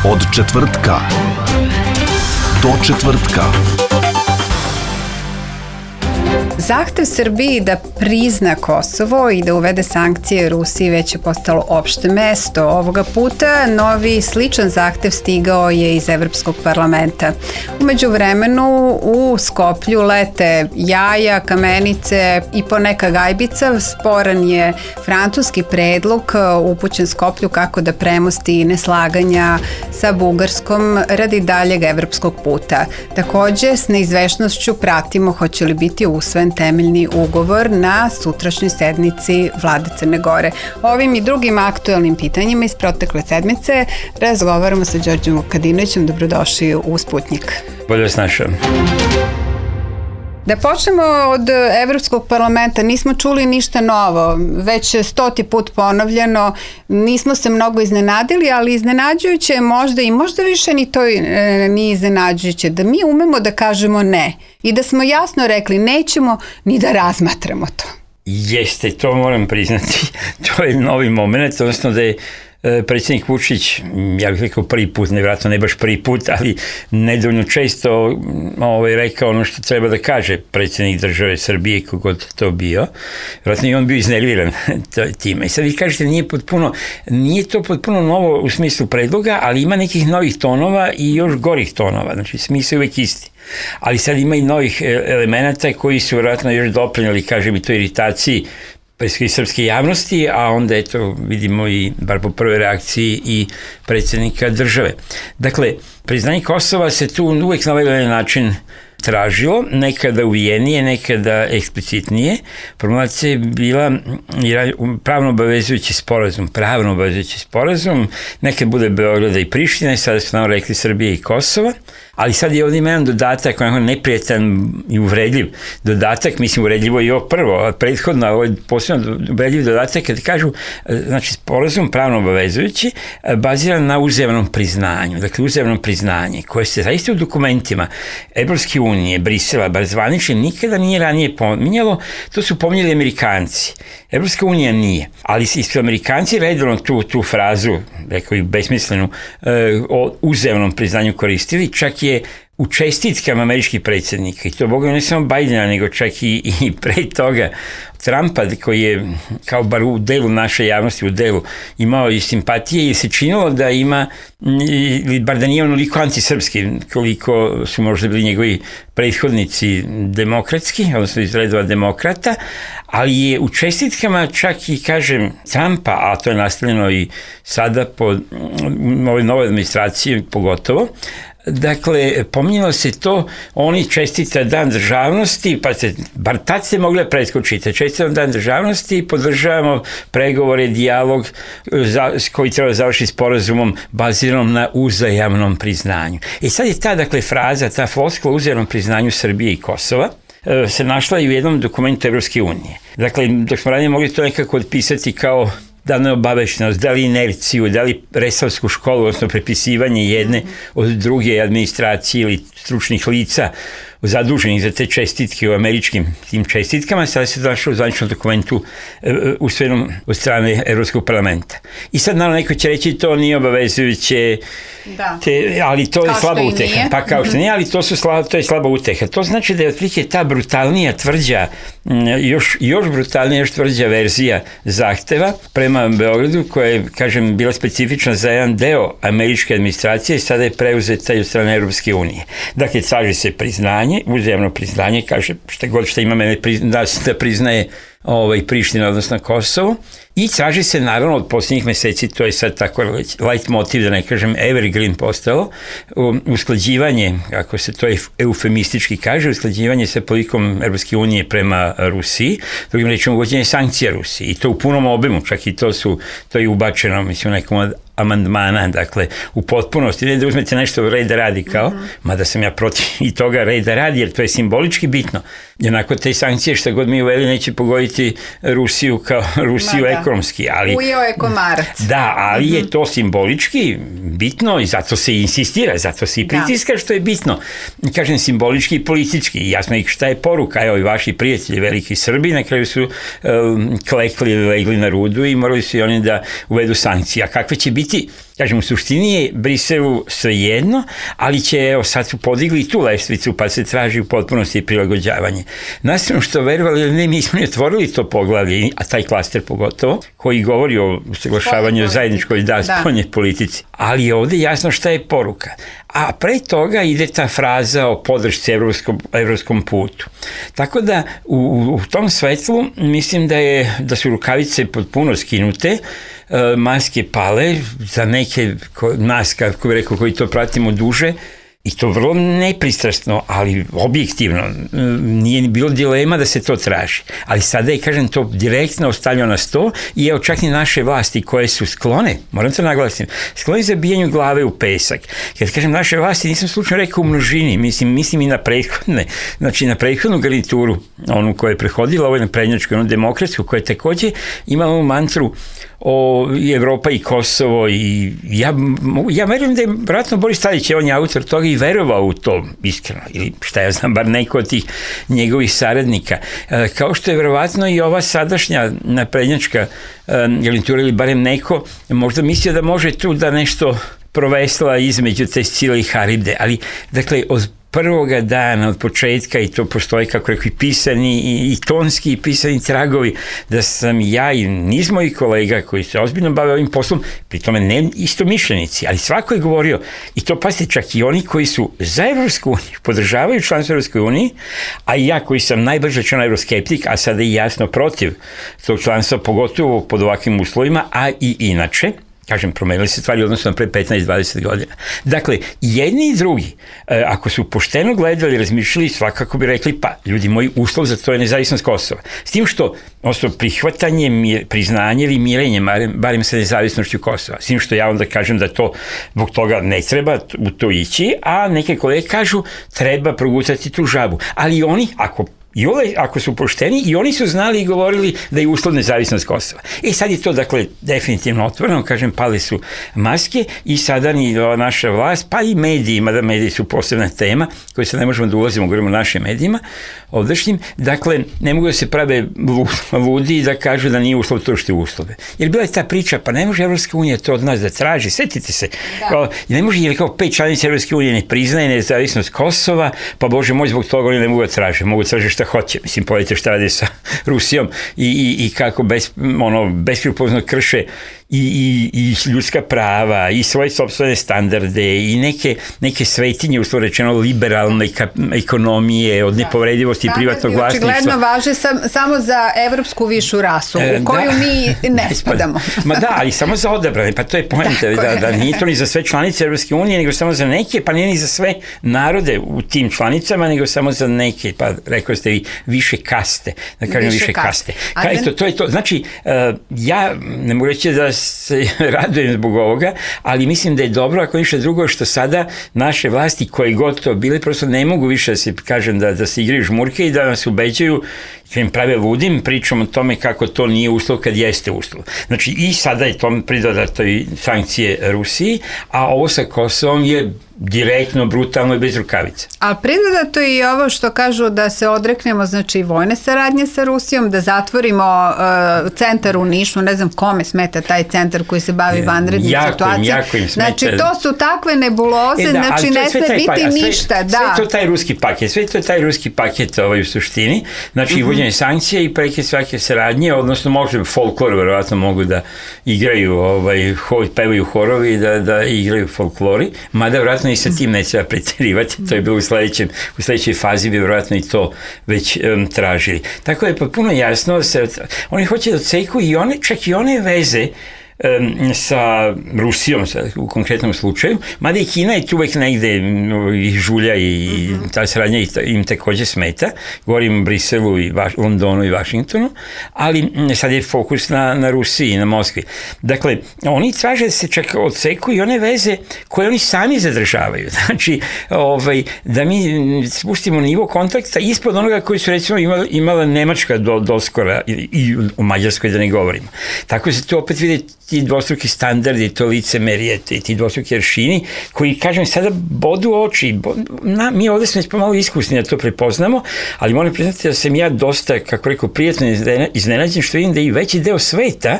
Od četvrtka do četvrtka. Zahtev Srbiji da prizna Kosovo i da uvede sankcije Rusiji već je postalo opšte mesto. Ovoga puta novi sličan zahtev stigao je iz Evropskog parlamenta. U međuvremenu u Skoplju lete jaja, kamenice i poneka gajbica. Sporan je francuski predlog upućen Skoplju kako da premosti neslaganja sa Bugarskom radi daljeg evropskog puta. Takođe, s neizvešnošću pratimo hoće li biti usvojen temeljni ugovor na sutrašnjoj sednici Vlade Crne Gore. Ovim i drugim aktuelnim pitanjima iz protekle sedmice razgovaramo sa Đorđem Vukadinovićem. Dobrodošli u Sputnjik. Bolje vas našao. Da počnemo od Evropskog parlamenta, nismo čuli ništa novo, već 100. put ponovljeno, nismo se mnogo iznenadili, ali iznenađujuće je možda i možda više ni to nije iznenađujuće, da mi umemo da kažemo ne i da smo jasno rekli nećemo ni da razmatramo to. Jeste, to moram priznati, to je novi moment, odnosno da je predsjednik Vučić, ja bih rekao prvi put, nevjerojatno ne baš prvi put, ali nedovoljno često rekao ono što treba da kaže predsjednik države Srbije, kogod to bio. Vjerojatno i on bio iznerviran time. I sad vi kažete, nije to potpuno novo u smislu predloga, ali ima nekih novih tonova i još gorih tonova. Znači, smisao je uvek isti. Ali sad ima i novih elemenata koji su vjerojatno još doprinjeli, kažem, i toj iritaciji preski srpske javnosti, a onda eto vidimo i, bar po prvoj reakciji, i predsjednika države. Dakle, priznanje Kosova se tu uvek na ovaj način tražilo, nekada uvijenije, nekada eksplicitnije. Formulacija je bila pravno obavezujući sporazum, nekad bude Beograda i Priština, sada su nam rekli Srbije i Kosova, ali sad je ovdje ima jedan dodatak, neprijatan i uvredljiv dodatak, mislim uvredljivo i ovo prvo, a prethodno, ovo je posebno uvredljiv dodatak kad kažu, znači sporazum pravno obavezujući, baziran na uzajamnom priznanju, dakle uzajamno priznanje koje se zaista u dokumentima Evropske unije, Brisela, bar zvanični, nikada nije ranije pominjalo, to su pominjali Amerikanci. Evropska unija nije, ali su Amerikanci redovno tu frazu, rekao i besmislenu, o uzajamnom priznanju koristili, čak je u čestitkama američkih predsjednika, i to boga ne samo Bidena, nego čak i pre toga Trumpa, koji je kao bar u delu naše javnosti, u delu imao i simpatije i se činilo da ima, ili bar da nije onoliko antisrpski koliko su možda bili njegovi prethodnici demokratski, odnosno iz redova demokrata, ali je u čestitkama čak i, kažem, Trumpa, a to je nastavljeno i sada po ovoj novoj administraciji pogotovo, dakle, pominjalo se to, oni čestita dan državnosti, pa bar tad se mogli preskočiti, čestitam dan državnosti i podržavamo pregovore, dijalog koji treba završiti sporazumom baziranom na uzajamnom priznanju. I sad je ta, dakle, fraza, ta floskula uzajamnom priznanju Srbije i Kosova se našla i u jednom dokumentu Evropske unije. Dakle, dok smo ranije mogli to nekako odpisati kao da li neobaveštenost, da li inerciju, da li resavsku školu, odnosno prepisivanje jedne od druge administracije ili stručnih lica zaduženih za te čestitke u američkim tim čestitkama, sada se došlo u zvaničnom dokumentu usvojenom od strane Evropskog parlamenta. I sad naravno neko će reći to nije obavezujuće, ali to je slaba uteha. Pa kao što nije, ali to je slaba uteha. To znači da je otprilike ta brutalnija, tvrđa, još brutalnija, još tvrđa verzija zahteva prema Beogradu, koja je, kažem, bila specifična za jedan deo američke administracije i sada je preuzeta i od strane Evropske unije. Dakle, traži se priznanje, uzajamno priznanje, kaže šta god što ima mene da priznaje Priština, odnosno Kosovo, i traži se naravno od posljednjih meseci, to je sad tako light motiv, da ne kažem evergreen postalo, usklađivanje, kako se to eufemistički kaže, usklađivanje sa politikom Evropske unije prema Rusiji, drugim rečima uvođenje sankcija Rusiji, i to u punom obimu, čak i to je ubačeno, mislim, u nekom od amandmana, dakle, u potpunosti, ne da uzmete nešto reda radi kao, mada sam ja protiv i toga reda radi, jer to je simbolički bitno. Jednako te sankcije što god mi uveli neće pogoditi Rusiju kao Rusiju ekonomski. Ujeo je komarac. Da, ali je to simbolički bitno i zato se insistira, zato se i pritiska što je bitno. Kažem, simbolički i politički. Jasno i šta je poruka. Evo i vaši prijatelji, veliki Srbi, na kraju su klekli, legli na rudu i morali su i oni da uvedu sankcije. A kakve će biti Kažem, u suštini je Briselu svejedno, ali će, sad su podigli tu lestvicu, pa se traži u potpunosti prilagođavanje. Nastavno što verovali ili ne, mi smo otvorili to poglavlje, a taj klaster pogotovo, koji govori o usaglašavanju zajedničkoj spoljnoj politici. Ali je ovde jasno šta je poruka. A pre toga ide ta fraza o podršci evropskom putu. Tako da u tom svetlu mislim da su rukavice potpuno skinute, maske pale, za neke nas, kako bih rekao, koji to pratimo duže, i to vrlo nepristrasno, ali objektivno. Nije bilo dilema da se to traži. Ali sada je, kažem, to direktno ostavljeno na sto i evo čak i naše vlasti koje su sklone, moram to naglasim, sklone zabijanju glave u pesak. Kad kažem naše vlasti, nisam slučajno rekao u množini, mislim i na prethodne, znači na prethodnu garnituru, onu koja je prehodila, ovo je na prednjačku, onu demokratsku, koja je takođe imala ovu mantru o Evropa i Kosovo i ja verujem da je vratno Boris Tadić, on je autor toga i verovao u to iskreno, ili šta ja znam, bar neko od tih njegovih saradnika. Kao što je verovatno i ova sadašnja naprednjačka garnitura ili barem neko možda mislio da može tu da nešto provesla između te Scile i Haribde, ali dakle od prvoga dana, od početka, i to postoji, kako rekao, i pisani i tonski i pisani tragovi, da sam ja i niz mojih kolega koji se ozbiljno bave ovim poslom, pri tome ne istomišljenici, ali svako je govorio, i to pasite čak i oni koji su za Evropsku uniju, podržavaju članstvo Evropskoj uniji, a i ja koji sam najbrže član evroskeptik, a sada i jasno protiv tog članstva, pogotovo pod ovakvim uslovima, a i inače, kažem, promenili se stvari odnosno pre 15-20 godina. Dakle, jedni i drugi, ako su pošteno gledali, razmišljali, svakako bi rekli, pa, ljudi moji, uslov za to je nezavisnost Kosova. S tim što, odnosno, prihvatanje, priznanje ili mirenje, barem sa nezavisnošću Kosova. S tim što ja onda kažem da to, zbog toga ne treba u to ići, a neke kolege kažu, treba progutati tu žabu. Ali oni, ako su pošteni, i oni su znali i govorili da je uslov nezavisnost Kosova. I sad je to, dakle, definitivno otvoreno, kažem, pale su maske i sada ni naša vlast, pa i mediji, mada mediji su posebna tema, koju se ne možemo da ulazimo, govorimo o našim medijima, ovdašnjim, dakle, ne mogu da se prave ludi i da kažu da nije uslov to što je uslove. Jer bila je ta priča, pa ne može Evropska unija to od nas da traži, setite se, ne može, jer kao 5 članica Evropske unije ne priznaje nezavisnost Kosova, pa Bože moj, zbog toga oni ne mogu da traže, mogu da traže šta hoće. Mislim, pogledajte šta radi sa Rusijom i kako beskrupulozno krše i ljudska prava i svoje sopstvene standarde i neke svetinje, uslovno rečeno, liberalne ekonomije, od nepovredivosti i privatnog vlasništva. Očigledno važe samo za evropsku višu rasu, u koju mi ne spadamo. Ma da, ali samo za odabrane, pa to je poenta, da nije to ni za sve članice Evropske unije, nego samo za neke, pa nije ni za sve narode u tim članicama, nego samo za neke, pa rekao ste vi, više kaste, da kažem više kaste. To je to. Znači, ja ne mogu reći da se radujem zbog ovoga, ali mislim da je dobro, ako ništa drugo, što sada naše vlasti, koje god to bile, prosto ne mogu više da se, kažem, da se igraju žmurke i da nas ubeđaju, kad im prave ludim, pričam o tome kako to nije uslov kad jeste uslov. Znači, i sada je tom pridodato i sankcije Rusiji, a ovo sa Kosovom je direktno, brutalno i bez rukavica. A pridodato je i ovo što kažu da se odreknemo, znači, vojne saradnje sa Rusijom, da zatvorimo centar u Nišu, ne znam kome smeta taj centar koji se bavi vanrednim situacijama. Jako im smeta. Znači, to su takve nebuloze, znači ne sme biti ništa. Sve to taj ruski paket u suštini, znači uvođenje sankcija i preke svake saradnje, odnosno može folklor, verovatno mogu da igraju, pevaju horovi, da igraju folklori, mada verovatno i sa tim neće da preterivati, to je bilo u sledećoj fazi bi verovatno i to već tražili. Tako je potpuno jasno da se oni hoće da odseku i čak i one veze sa Rusijom u konkretnom slučaju, mada i Kina je tu uvek negde i žulja i ta saradnja im takođe smeta, govorim o Briselu i Londonu i Vašingtonu, ali sad je fokus na Rusiji i na Moskvi. Dakle, oni traže da se čak odseku i one veze koje oni sami zadržavaju. Znači, da mi spustimo nivo kontakta ispod onoga koji su recimo imala Nemačka doskora i o Mađarskoj da ne govorimo. Tako se tu opet vide ti dvostruki standardi, to licemerije, ti dvostruki aršini, koji, kažem, sada bodu oči. Mi ovde smo već pomalo iskusni da to prepoznamo, ali moram priznati da sam ja dosta, kako rekao, prijatno iznenađen što vidim da i veći deo sveta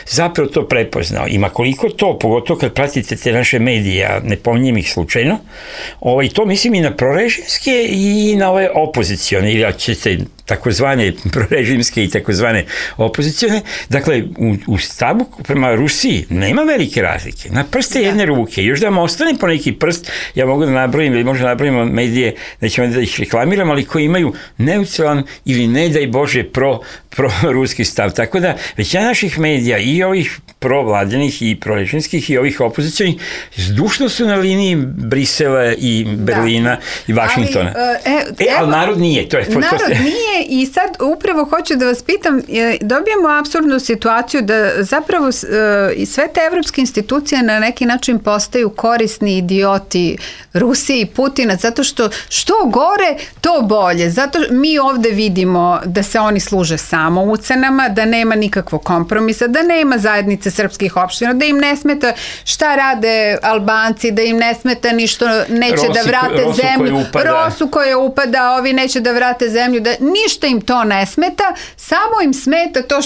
zapravo to prepoznao. Ima koliko to, pogotovo kad pratite te naše medije, ja ne pominjem ih slučajno, to mislim i na prorežimske i na ove opozicione, ili ako ćete takozvane prorežimske i takozvane opozicione. Dakle, u stavu prema Rusiji nema velike razlike. Na prste jedne ruke. Još da vam ostane po neki prst, ja mogu da nabrojim ili možda nabrojimo medije, nećemo da ih reklamiram, ali koji imaju neutralan ili ne daj Bože pro-ruski stav. Tako da, većina naših medija i ovih provladenih i prorežimskih i ovih opozicionih zdušno su na liniji Brisela i Berlina i Vašingtona. Ali narod nije. Narod nije i sad upravo hoću da vas pitam, dobijemo apsurdnu situaciju da zapravo sve te evropske institucije na neki način postaju korisni idioti Rusije i Putina, zato što gore, to bolje. Zato mi ovde vidimo da se oni služe samo ucenama, da nema nikakvog kompromisa, da nema zajednice srpskih opština, da im ne smeta šta rade Albanci, da im ne smeta ništo, neće da vrate zemlju, Rosu koja upada, ovi neće da vrate zemlju, da ništa im to ne smeta, samo im smeta to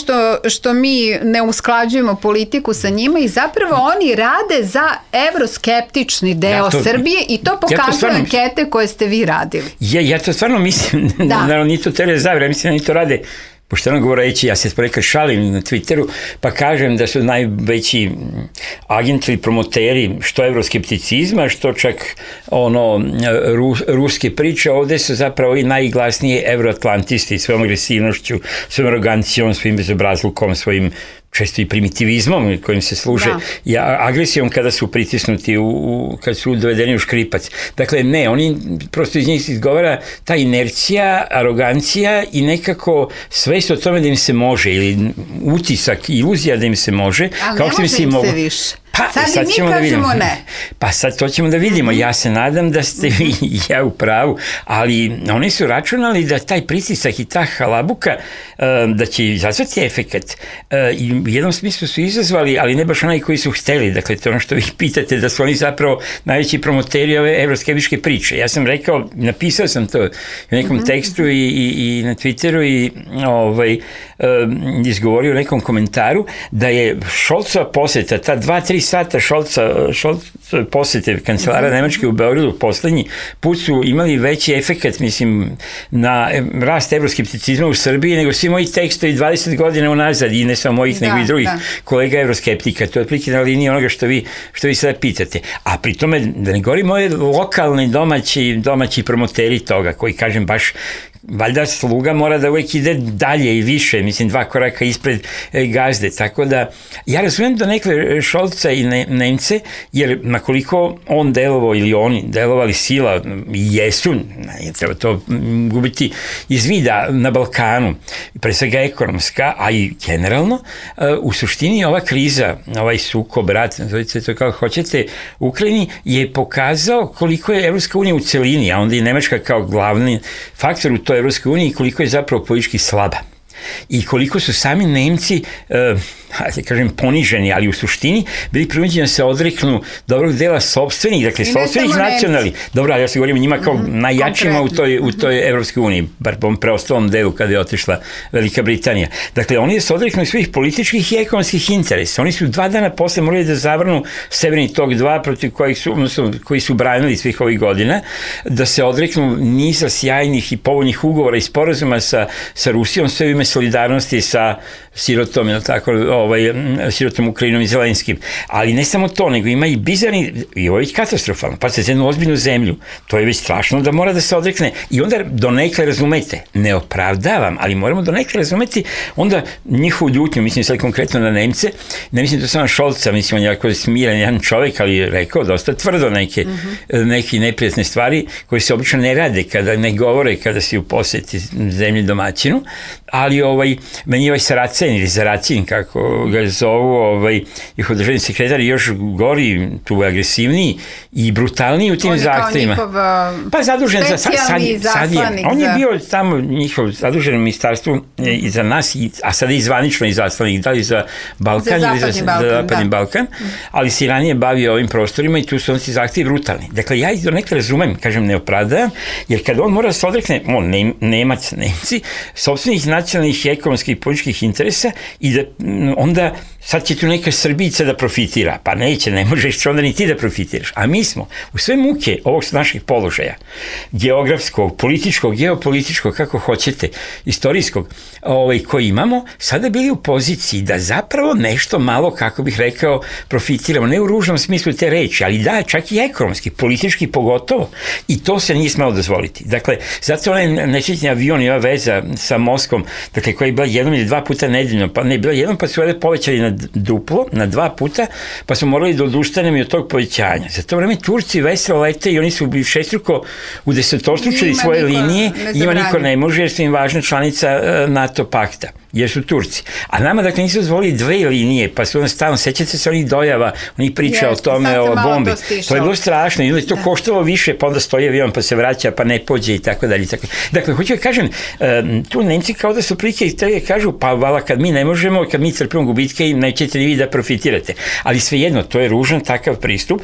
što mi ne usklađujemo politiku sa njima i zapravo oni rade za evroskeptični deo Srbije i to pokazuju ankete koje ste vi radili. Ja to stvarno mislim, naravno nije to tele zavire, mislim da oni to rade pošteno govoreći, ja se ponekad šalim na Twitteru, pa kažem da su najveći agenti ili promoteri što evroskepticizma, što čak ruske priče, ovde su zapravo i najglasniji evroatlantisti svojom agresivnošću, svojom arogancijom, svojim bezobrazlukom, svojim često i primitivizmom kojim se služe, agresijom kada su pritisnuti, kad su dovedeni u škripac. Dakle, ne, oni prosto iz njih izgovara ta inercija, arogancija i nekako svest o tome da im se može, ili utisak, iluzija da im se može. Ali ne može im se više. Sad i mi kažemo ne. Pa sad to ćemo da vidimo. Ja se nadam da ste vi i ja u pravu, ali oni su računali da taj pritisak i ta halabuka da će izazvati efekat. I u jednom smislu su izazvali, ali ne baš onaj koji su hteli. Dakle, to je ono što vi pitate, da su oni zapravo najveći promoteri ove evroskeptičke priče. Ja sam rekao, napisao sam to u nekom tekstu i na Twitteru i izgovorio u nekom komentaru da je Šolcova poseta, ta 2-3 sata Šolcove posete kancelara Nemačke u Beogradu poslednji put su imali veći efekat, mislim, na rast evroskepticizma u Srbiji nego svi moji tekstovi 20 godina unazad i ne samo mojih nego i drugih kolega evroskeptika. To je otprilike na liniji onoga što vi sada pitate. A pri tome, da ne govorim ove lokalne domaći promoteri toga koji, kažem, baš valjda sluga mora da uvek ide dalje i više, mislim 2 koraka ispred gazde, tako da ja razumijem da nekle Šolca i Nemce, jer makoliko on delovao ili oni delovali sila i jesu, ne treba to gubiti iz vida na Balkanu, pre svega ekonomska, a i generalno, u suštini ova kriza, ovaj sukob, rat, nazovite to kako hoćete, u Ukrajini je pokazao koliko je Evropska unija u celini, a onda i Nemačka kao glavni faktor u toj Evropskoj uniji, koliko je zapravo politički slaba. I koliko su sami Nemci, da kažem, poniženi, ali u suštini bili prinuđeni da se odreknu dobrog dela sopstvenih, dakle sopstvenih nacionalnih. Dobro, ali ja se govorim o njima kao najjačima u toj Evropskoj uniji, bar po preostalom delu kada je otišla Velika Britanija. Dakle, oni se odreknu svih političkih i ekonomskih interesa. Oni su 2 dana posle morali da zavrnu Severni tok 2, protiv koji su branili svih ovih godina, da se odreknu niza sjajnih i povoljnih ugovora i sporazuma sa Rusijom, sve u ime solidarnosti sa sirotom, sirotom Ukrajinom i Zelenskim. Ali ne samo to, nego ima i bizarni, i ovo je katastrofalno, pa se za jednu ozbiljnu zemlju, to je već strašno da mora da se odrekne. I onda donekle razumete, ne opravdavam, ali moramo donekle razumeti onda njihovu ljutnju, mislim sad konkretno na Nemce, ne mislim to samo Šolca, mislim on je jako smiren jedan čovek, ali je rekao dosta tvrdo neke neprijatne stvari koje se obično ne rade, kada ne govore, kada si u poseti zemlji domaćinu, ali ali meni je Saracen ili Zaracin, kako ga zovu, njihov državni sekretar, još gori, tu agresivniji i brutalniji u tim zahtevima. On je kao njihov zadužen specijalni zaslanik. On je bio tamo njihov zadužen u ministarstvu i za nas, a sada i zvanično i zaslanik, da li za Balkan ili za Zapadni Balkan, ali se i ranije bavio ovim prostorima i tu su ti zahtevi brutalni. Dakle, ja ih do nekada razumem, kažem, ne opravdavam, jer kad on mora se odrekne, Nemac, Nemci, sopstvenih nacionalnih, ekonomskih i političkih interesa i da onda sad će tu neka Srbica da profitira. Pa neće, ne možeš onda ni ti da profitiraš. A mi smo u sve muke ovog naših položaja, geografskog, političkog, geopolitičkog, kako hoćete, istorijskog, koji imamo, sada bili u poziciji da zapravo nešto malo, kako bih rekao, profitiramo. Ne u ružnom smislu te reči, ali da, čak i ekonomski, politički pogotovo. I to se nije smelo dozvoliti. Dakle, zato onaj nesrećni avion i ova veza sa Moskvom, dakle, koja je bila jednom ili dva puta nedeljno, pa ne bila jednom, pa su ovdje povećali na duplo, na 2 puta, pa smo morali da odustanemo i od tog povećanja. Za to vreme Turci veselo lete i oni su šestruko udesetostručili svoje linije, njima niko ne može jer su im važna članica NATO pakta, jer su Turci. A nama, dakle, nisu dozvolili 2 linije, pa su onda stalno, sećate se onih dojava, onih priča o tome, o bombi. To je bilo strašno i onda je to koštalo više, pa onda stoji avion, pa se vraća, pa ne pođe i tako dalje. Dakle, hoću da kažem, tu Nemci kao da su prilike i te kažu, pa vala, kad mi ne možemo, kad mi trpimo gubitke, nećete ni vi da profitirate. Ali svejedno, to je ružan takav pristup,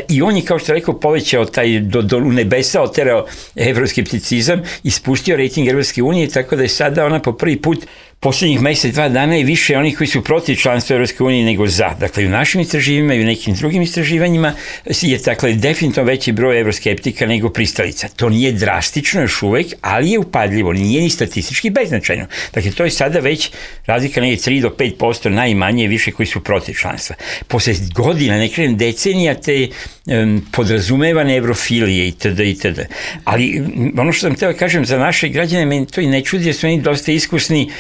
i on je, kao što rekao, povećao taj do nebesa, oterao evroskepticizam i spustio rejting Evropske unije, tako da je sada ona po prvi put poslednjih mesec, 2 dana je više onih koji su protiv članstva Evropske unije nego za. Dakle, u našim istraživanjima i u nekim drugim istraživanjima je, dakle, definitivno veći broj evroskeptika nego pristalica. To nije drastično još uvek, ali je upadljivo, nije ni statistički beznačajno. Dakle, to je sada već razlika negdje 3 do 5% najmanje više koji su protiv članstva. Posle godina, ne kažem decenija, te podrazumevane evrofilije itd. Ali ono što sam htio da kažem za naše građane, meni to i ne čudi, jer su oni dosta iskusni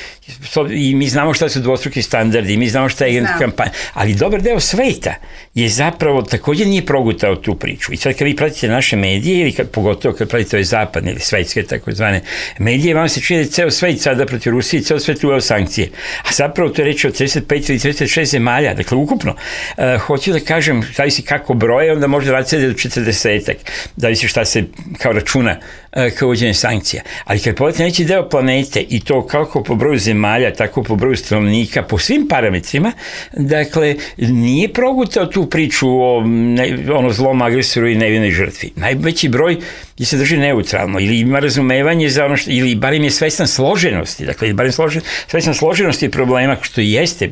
i mi znamo šta su dvostruki standardi, mi znamo šta je kampanja, ali dobar deo sveta je zapravo također nije progutao tu priču. I sad kad vi pratite naše medije, ili pogotovo kad pratite ove zapadne ili svetske takozvane medije, vam se čini da je ceo svet sada protiv Rusije, ceo svet uveo sankcije. A zapravo to je reč o 35 ili 36 zemalja, dakle ukupno. Hoću da kažem, zavisi kako broje, onda može raditi do 40-ak, zavisi šta se kao računa kao uvođenje sankcija. Ali kad pogledate neći deo planete i to kako po broju zemalja, tako po broju stanovnika, po svim parametrima, dakle, nije progutao tu priču o zlom agresoru i nevinoj žrtvi. Najveći broj je se drži neutralno ili ima razumevanje za ono što, ili barem je svestan složenosti, dakle, barem svestan složenosti problema, što i jeste.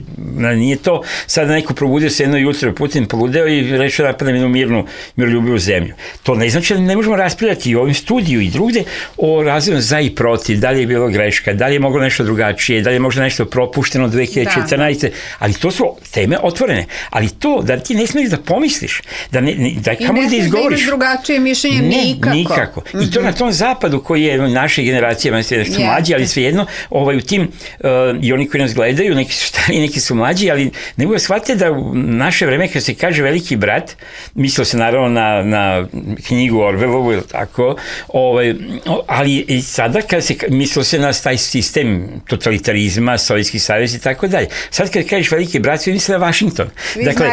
Nije to sada neko probudio se jedno jutro, Putin poludeo i rešio da napadne jednu miroljubivu zemlju. To ne znači da ne možemo raspravljati i u ovim studiju i drugde o razvoju za i protiv, da li je bilo greška, da li je moglo nešto drugačije, da li je možda nešto propušteno 2014. Ali to su teme otvorene. Ali to da ti ne smiješ da pomisliš, da kamo da izgovoriš. I ne smiješ da imaš drugačije mišljenje nikako. I to na tom zapadu koji je naše generacije, nešto mlađi, ali svejedno, u tim, i oni koji nas gledaju, neki su stari, neki su mlađi, ali ne mogu da shvatite da u naše vreme, kad se kaže veliki brat, mislio se naravno na knjigu Orwellovu, ili tako, ali i sada kad se mislio se na taj sistem totalitarizma, Sovjetski savez i tako dalje. Sad kad kažeš veliki brat, svi misle na Vašington. Dakle,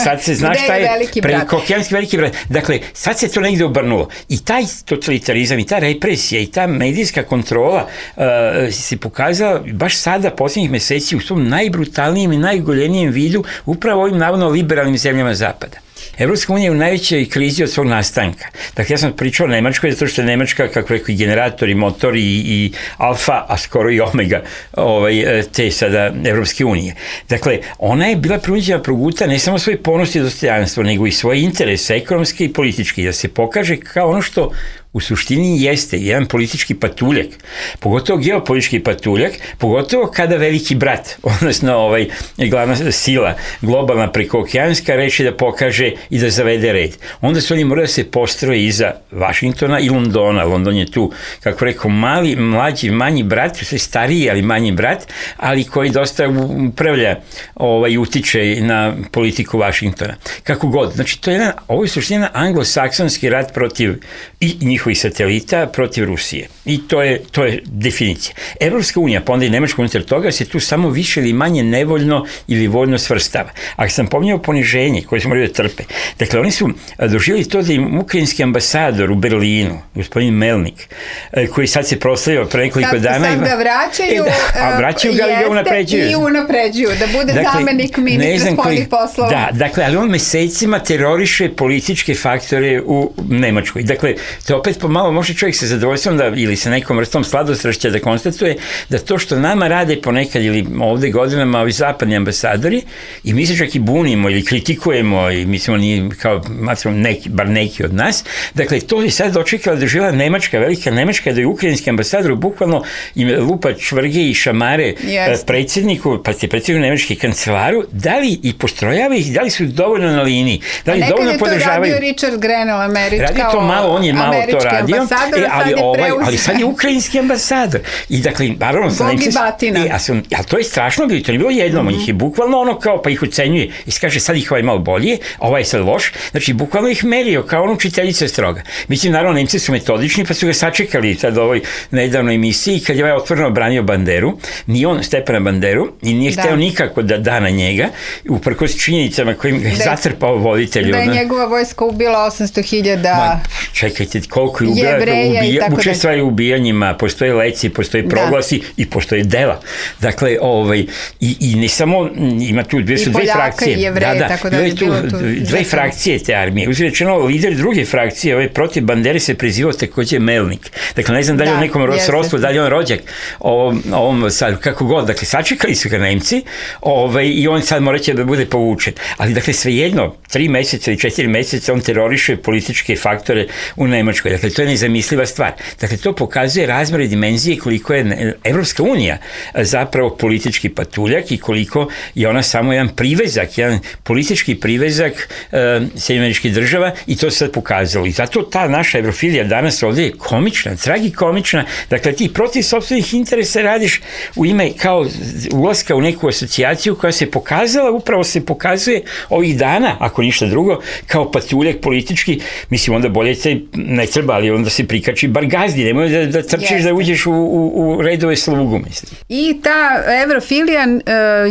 sad se zna šta je prekookeanski veliki brat. Dakle, sad se to negde obrnulo. I taj totalitarizam, i ta represija, i ta medijska kontrola se pokazala baš sada, posljednjih meseci, u svom najbrutalnijem i najugoljenijem vidu, upravo ovim navodno liberalnim zemljama Zapada. Evropska unija je u najvećoj krizi od svog nastanka. Dakle, ja sam pričao o Nemačkoj, zato što je Nemačka, kako rekao, i generator, i motor, i alfa, a skoro i omega te sada Evropske unije. Dakle, ona je bila prinuđena proguta ne samo svoje ponos i dostojanstvo, nego i svoje interese, ekonomske i političke, da se pokaže kao ono što u suštini jeste jedan politički patuljak, pogotovo geopolitički patuljak, pogotovo kada veliki brat, odnosno glavna sila, globalna prekookeanska, reči da pokaže i da zavede red. Onda su oni morali da se postroje iza Vašingtona i Londona. London je tu, kako rekao, mali, mlađi, manji brat, sve stariji, ali manji brat, ali koji dosta upravlja i utiče na politiku Vašingtona. Kako god. Znači, to je ovo je suština anglosaksonski rat protiv i njihov njihovih satelita protiv Rusije. I to je definicija. Evropska unija, pa onda i Nemačka unutar toga, se tu samo više ili manje nevoljno ili voljno svrstava. Ako sam pominjao poniženje koje smo morali da trpe, dakle, oni su doživjeli to da im ukrajinski ambasador u Berlinu, gospodin Melnik, koji sad se proslavio pre nekoliko dana... Sad ga vraćaju, a vraćaju ga i ga unapređuju. I unapređuju, da bude zamenik ministra spoljnih poslova. Dakle, ali on mesecima teroriše političke faktore u Nemačkoj. Dakle, to opet pomalo može čovjek sa zadovoljstvom ili sa nekom vrstom sladostrašća da konstatuje da to što nama rade ponekad ili ovde godinama ovi zapadni ambasadori i mi se čak i bunimo ili kritikujemo i mislimo nije kao bar neki od nas, dakle, to je sad dočekala da živjela Nemačka, velika Nemačka, da je ukrajinski ambasador bukvalno im lupa čvrge i šamare predsjedniku, pa ste predsjedniku Nemačke kancelaru, da li i postrojava ih, da li su dovoljno na liniji, da li dovoljno podržavaju. Nekad je to radio Richard Grenell, radi to malo, on je malo to radio, ali sad je ukrajinski ambasador. I dakle, naravno, ali to je strašno bilo, to nije bilo jednom, njih je bukvalno ono kao, pa ih ocenjuje i kaže sad ih ovaj malo bolje, ovaj je sad loš, znači bukvalno ih merio kao ono učiteljica stroga. Mislim, naravno, Nemci su metodični, pa su ga sačekali sad u ovoj nedavnoj emisiji, kad je ovaj otvoreno branio Banderu, nije on Stepana Banderu i nije hteo nikako da da na njega, uprkos činjenicama kojim ga je zatrpao voditelj. Da je njegova vojska ubila 800.000 čekajte, koliko je ubila, učestvaju u ubijanjima, postoje leci, postoje proglasi i postoje dela. Dakle, i ne samo, ima tu dve frakcije. I Jevreje, tako da je bilo tu. Dve frakcije te armije. Uzrečeno, lider druge frakcije, protiv Bandere se prezivao takođe Melnik. Dakle, ne znam da li on nekom srodstvu, da li on rođak, ovom sad, kako god, dakle, sačekali su ga Nemci i on sad mora će da bude povučen. Ali, dakle, svejedno, 3 meseca ili 4 meseca on teroriše političke faktore u Nemačkoj. Dakle, to je nezamisliva stvar. Dakle, to pokazuje razmere dimenzije koliko je Evropska unija zapravo politički patuljak i koliko je ona samo jedan privezak, jedan politički privezak Sjedinjenih Država i to se sad pokazalo. I zato ta naša evrofilija danas ovdje je komična, tragikomična. Dakle, ti protiv sopstvenih interesa radiš u ime kao ulaska u neku asocijaciju koja se pokazala, upravo se pokazuje ovih dana, ako ništa drugo, kao patuljak politički. Mislim, onda bolje te ne treba, ali onda se prikači bar gazdi, nemoj da trčiš da uđeš u redove slugu, mislim. I ta evrofilija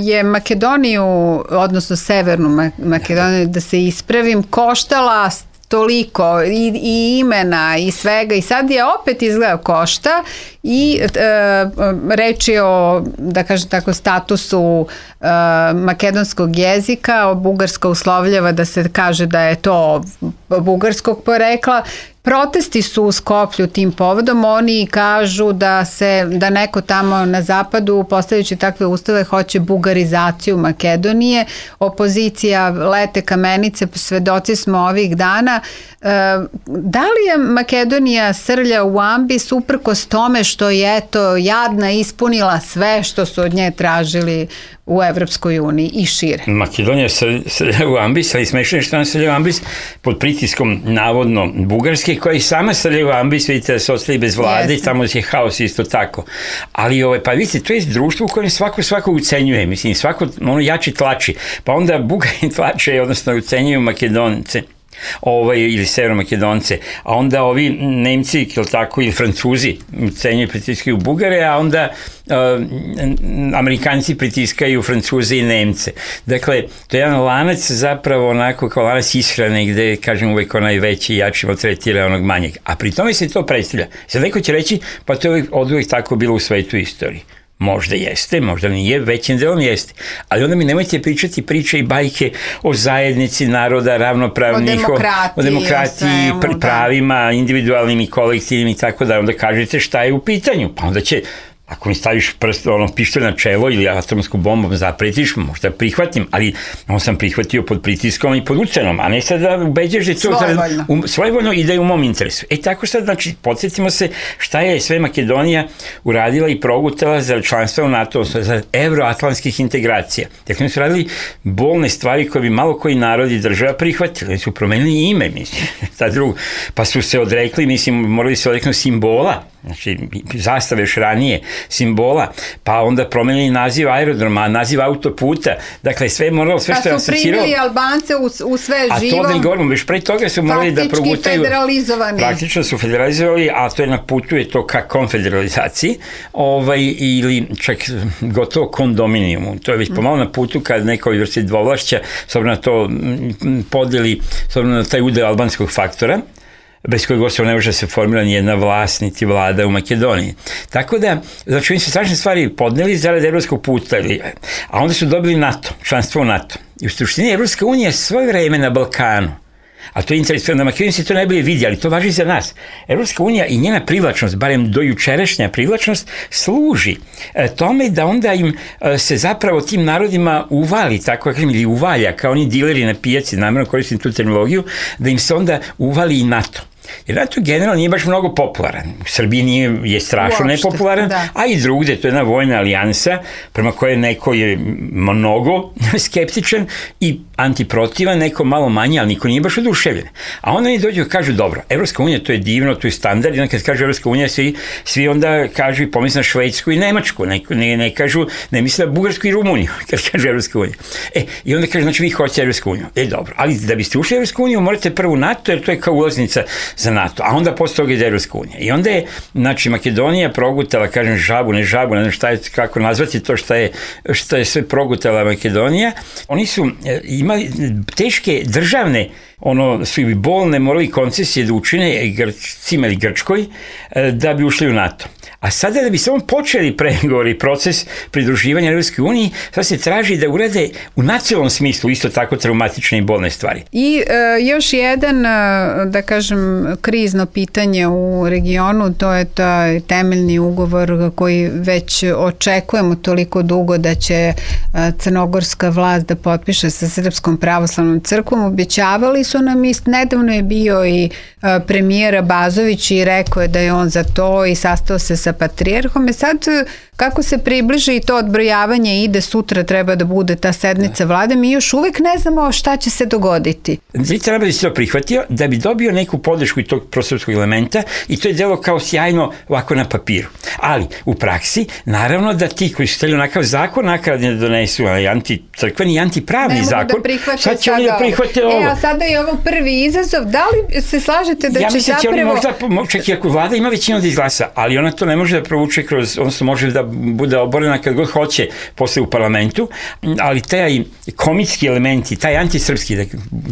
je Makedoniju, odnosno Severnu Makedoniju, da se ispravim, koštala toliko i imena i svega i sad je opet izgleda košta i reč je o, da kažem tako, statusu makedonskog jezika, Bugarska uslovljava da se kaže da je to bugarskog porekla. Protesti su u Skoplju tim povodom, oni kažu da neko tamo na zapadu, postavljajući takve ustave, hoće bugarizaciju Makedonije. Opozicija lete kamenice, svedoci smo ovih dana. Da li je Makedonija srlja u ambis uprkos tome što je eto jadna ispunila sve što su od nje tražili u Evropskoj uniji i šire? Makedonija srlja u ambis, ali smešno je što ona srlja u ambis pod pritiskom navodno Bugarske, koja i sama srlja u ambis, vidite da se ostali bez vlade, tamo je haos isto tako. Ali pa vidite, to je društvo u kojem svako ucenjuje, mislim, svako jači tlači, pa onda Bugari tlače, odnosno ucenjuju Makedonce. Ili Severno-Makedonce, a onda ovi Nemci ili Francuzi cenjuju, pritiskaju Bugare, a onda Amerikanci pritiskaju Francuze i Nemce. Dakle, to je jedan lanac zapravo onako kao lanac ishrane gde, kažem, uvek onaj veći i jači maltretira onog manjeg. A pri tome se to predstavlja. Sad neko će reći, pa to je oduvek tako bilo u svetu istoriji. Možda jeste, možda nije, većim delom jeste. Ali onda mi nemojte pričati priče i bajke o zajednici naroda, ravnopravnih, o demokratiji, pravima, individualnim i kolektivnim i tako da. Onda kažete šta je u pitanju. Pa onda će, ako mi staviš pištolj na čelo ili atomsku bombom zapretiš, možda prihvatim, ali on sam prihvatio pod pritiskom i pod ucenom, a ne sad da ubeđaš da je to svojvoljno i da je u mom interesu. Tako sad, znači, podsjetimo se šta je sve Makedonija uradila i progutala za članstvo u NATO, za evroatlantskih integracija. Dakle, oni su radili bolne stvari koje bi malo koji narod i država prihvatili. Oni su promenili ime, mislim, pa su se odrekli, mislim, morali se odreknuti simbola, znači, zastave još ranije, simbola, pa onda promenili naziv aerodroma, naziv autoputa, dakle sve je moralo, sve što je asociralo. Pa su primili Albance u sve živo. A to da govorimo, već pre toga su morali da progutaju. Faktički federalizovani. Praktično su federalizovali, a to je na putu je to ka konfederalizaciji, ili čak gotovo kondominijumu. To je već pomalo na putu kad neko vrsti dvovlašća, s obzirom na to podeli, s obzirom na taj udeo albanskog faktora, bez kojeg gotovo ne može se formira nijedna vlast, niti vlada u Makedoniji. Tako da, znači oni su strašne stvari podneli zarad evropskog puta, a onda su dobili NATO, članstvo u NATO. I u suštini Evropska unija svoje vreme na Balkanu, a to je interesantno, na Makedoniji se to najbolje vidi, ali to važi za nas. Evropska unija i njena privlačnost, barem dojučerašnja privlačnost, služi tome da onda im se zapravo tim narodima uvali, tako ili uvalja, kao oni dileri na pijaci, namjerno koristim tu terminologiju, da im se onda uvali i NATO. Jer NATO generalno nije baš mnogo popularan. U Srbiji je strašno nepopularan, a i drugde, to je jedna vojna alijansa prema kojoj neko je mnogo skeptičan i antiprotivan, neko malo manje, ali niko nije baš oduševljen. A onda oni dođu i kažu, dobro, Evropska unija, to je divno, to je standard, i onda kad kažu Evropska unija, svi onda kažu i pomisle na Švedsku i Nemačku, ne kažu, ne misle na Bugarsku i Rumuniju, kad kažu Evropska unija. I onda kažu, znači vi hoćete Evropsku uniju. Dobro, ali da biste ušli u Evropsku uniju, morate prvo NATO, jer to je kao ulaznica za NATO, a onda posle toga ide Evropska unija. I onda je, znači, Makedonija progutala, kažem, žabu, ne znam šta je, kako nazvati to što je sve progutala Makedonija. Oni su imali teške državne, su i bolne, morali koncesije da učine Grcima ili Grčkoj da bi ušli u NATO. A sada da bi samo počeli pregovori, proces pridruživanja Evropskoj uniji, sad se traži da urade u nacionalnom smislu isto tako traumatične i bolne stvari. I još jedan, da kažem, krizno pitanje u regionu, to je taj temeljni ugovor koji već očekujemo toliko dugo da će crnogorska vlast da potpiše sa Srpskom pravoslavnom crkvom. Obećavali su nam, nedavno je bio i premijer Bazović i rekao je da je on za to i sastao se sa patrijarhom. Sad kako se približi i to odbrojavanje ide, sutra treba da bude ta sednica vlade, mi još uvek ne znamo šta će se dogoditi. Treba bi se to prihvatio da bi dobio neku podršku i tog prosrpskog elementa i to je delo kao sjajno ovako na papiru. Ali u praksi, naravno da ti koji su hteli onakav zakon nakradne da donesu, anticrkveni i antipravni zakon, sad će oni da prihvate ovo. A sada je ovo prvi izazov. Da li se slažete da će zapravo... Ja mislim da će oni možda, čak i ako vlada ima većinu da izglasa, ali ona to ne može da provuče kroz, odnosno može da bude oborena kad god hoće posle u parlamentu, ali taj komitski elementi, taj antisrpski, da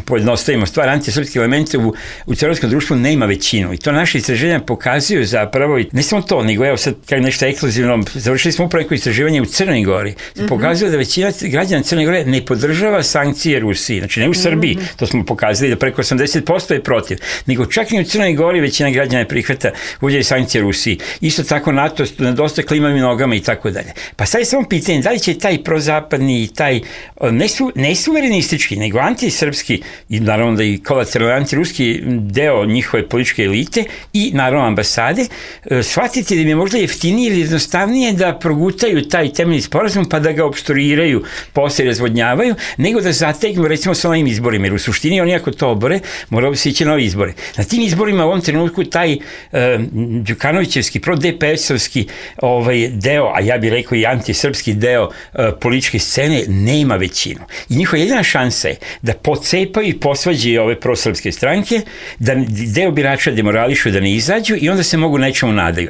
pojednostavimo stvar, antisrpski elementi u crnogorskom društvu nema većinu i to naše istraživanja pokazuju zapravo, ne samo to, nego evo sad kao nešto ekskluzivno, završili smo upravo neko istraživanje u Crnoj Gori, pokazuje da većina građana Crne Gore ne podržava sankcije Rusiji, znači ne u Srbiji, to smo pokazali da preko 80% je protiv, nego čak i u Crnoj Gori većina građana prihvata uvođenje sankcije Rusiji. Isto tako NATO nedostaje klimavim nogama i tako dalje. Pa sad je samo pitanje da li će taj prozapadni, taj ne suverenistički, nego antisrpski i naravno da i kolateralni antiruski deo njihove političke elite i naravno ambasade shvatiti da im je možda jeftinije ili jednostavnije da progutaju taj temeljni sporazum pa da ga opstruiraju, posle razvodnjavaju, nego da zategnu recimo sa novim izborima, jer u suštini oni ako to obore, moralo bi se ići novi izbore. Na tim izborima u ovom trenutku taj Đukanovićevski, pro-DPS-ovski deo, a ja bih rekao i antisrpski deo političke scene, nema većinu. I njihova jedina šansa je da pocepaju i posvađaju ove prosrpske stranke, da deo birača demorališu da ne izađu i onda se mogu nečemu nadaju.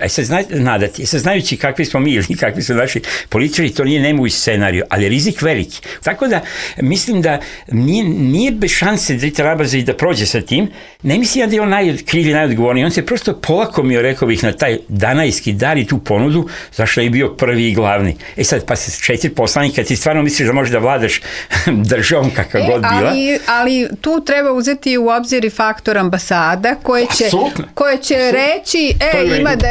Nadati. Sad znajući kakvi smo mi ili kakvi su naši političari, to nije nemoguć scenariju, ali je rizik veliki. Tako da mislim da nije bez šanse Drita Rabaza i da prođe sa tim. Ne mislim da je on najkrivi, najodgovorniji. On se prosto polakomio, rekao bih, na taj danajski dar i tu ponudu, zašto je bio prvi i glavni. Sad, pa se 4 poslanika, ti stvarno misliš da možeš da vladaš državom kakva god bila. Ali tu treba uzeti u obzir i faktor ambasada koje će reći, ima da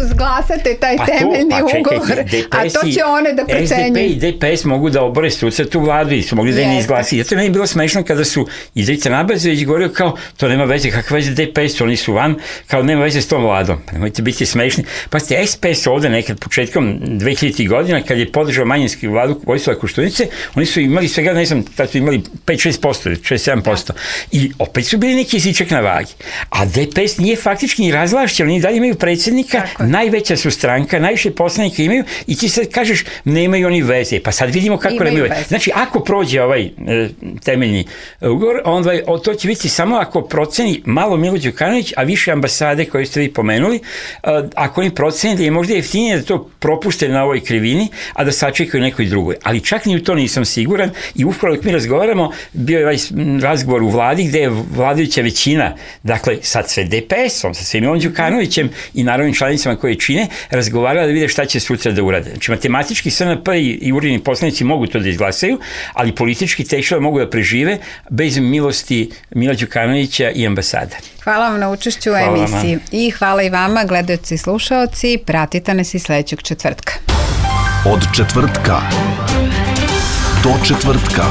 izglasate taj temeljni ugovor, a to će one da procenjuju. SDP i DPS mogu da obore struca tu vladu i su mogli da je ne izglasi. Zato je meni bilo smešno kada su Drita Rabazović govorio kao, to nema veze, kakva veze DPS, oni su van, kao nema veze s tom vladom. Pa nemojte biti smešni. Pa ste SPS ovde nekad početku početkom 2000. godina, kad je podržao manjinski vladu Vojislava Koštunice, oni su imali svega, ne znam, tad su imali 5-6%, 6-7%. I opet su bili neki jezičak na vagi. A DPS nije faktički ni razvlašćen, oni dalje imaju predsjednika, najveća su stranka, najviše poslanika imaju i ti sad kažeš, nemaju oni veze. Pa sad vidimo kako nemaju veze. Znači, ako prođe ovaj temeljni ugovor, onda to će biti samo ako proceni malo Milo Đukanović, a više ambasade koje ste vi pomenuli, ako oni proceni da je možda jeftinije da to propuste na ovoj krivini, a da sačekaju nekoj drugoj. Ali čak ni u to nisam siguran i upravo dok mi razgovaramo, bio je ovaj razgovor u vladi gde je vladajuća većina, dakle sad sve DPS-om, sa svim Milom Đukanovićem i naravnim članicama koje čine, razgovarala da vide šta će sutra da urade. Znači matematički SNP i uredni poslanici mogu to da izglasaju, ali politički teško da mogu da prežive bez milosti Mila Đukanovića i ambasada. Hvala vam na učešću u emisiji i hvala i vama, gledaoci i slušaoci, pratite nas i sledećeg četvrtka. Od četvrtka do četvrtka.